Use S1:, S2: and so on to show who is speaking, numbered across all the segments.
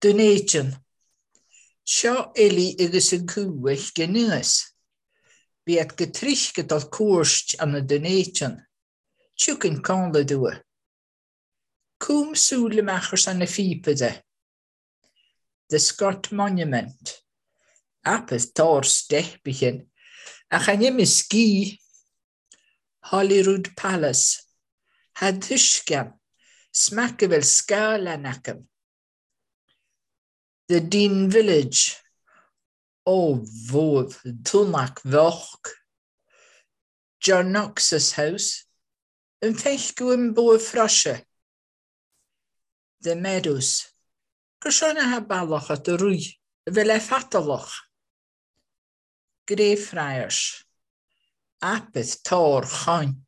S1: Dún Éideann. Seo Ellie agus an cú a scinneas. Bhíod go trísce dul cuairt anna Dún Éideann. Tiocfainn codladh dua. Cúm súil amach ar son na phíopa de. The Scott Monument. Apeth tor steppichin. Ach an im ski. Holyrood Palace. Had tuiscean. Smack a bhfuil scáileán acu. The Dean Village. Ó bhuaibh, Dúnach Bheach. John Knox's House. An feicú an buaibh froise. The Meadows. Gur seo na bealach at a rui, a bhfuil le fatalach. Greyfriars. Apeth tor chain.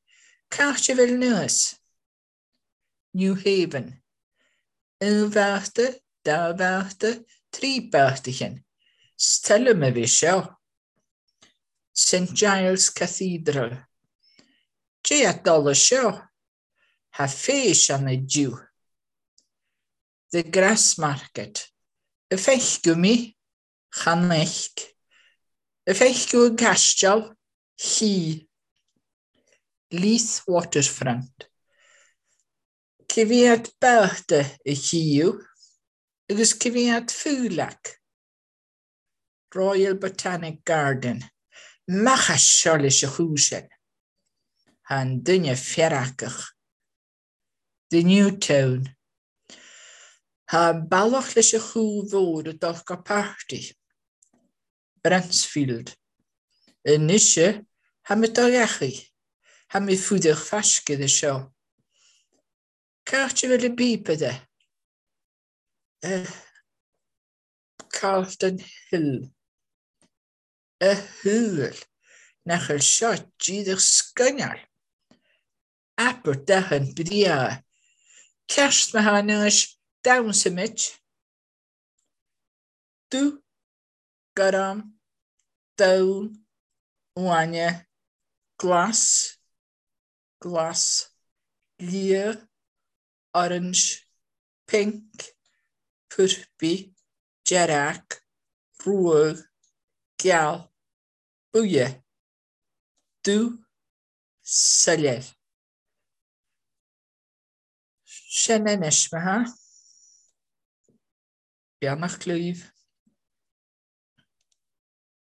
S1: Cairt a bhfuil nuas. New Haven. Un bhearta, dá bhearta, trí beartachin. Stellum a bhí seo. St Giles Cathedral. Dé at dul seo. Ha féis an y diw. The Grassmarket. Y feicw mi, chaneic. Y feicw yn castial, lli. Leith Waterfront. Cyfiad byrda y lliw, agus cyfiad ffwlac. Royal Botanic Garden. Mach a seo leis y chwsin. Han duine feracach. The New Town. Ha balach leis y chw fawr y dol go party. Bransfield. Yn nisio, ha mi doliachu. Ha mi ffwdych ffasgydd y sio. Cart i fel y bip yde. Carlton Hill. Y hwyl. Nach el sio gydych sgynnal. Aber dahan bria. Cast ma ha nys dawnsymit. Du, garam, dawn, uaine, glas, glas, lir, orange, pink, pwrpi, jerac, rwg, geal, bwye, du, syledd. Sin anois, ma ha. Beannach clúimh.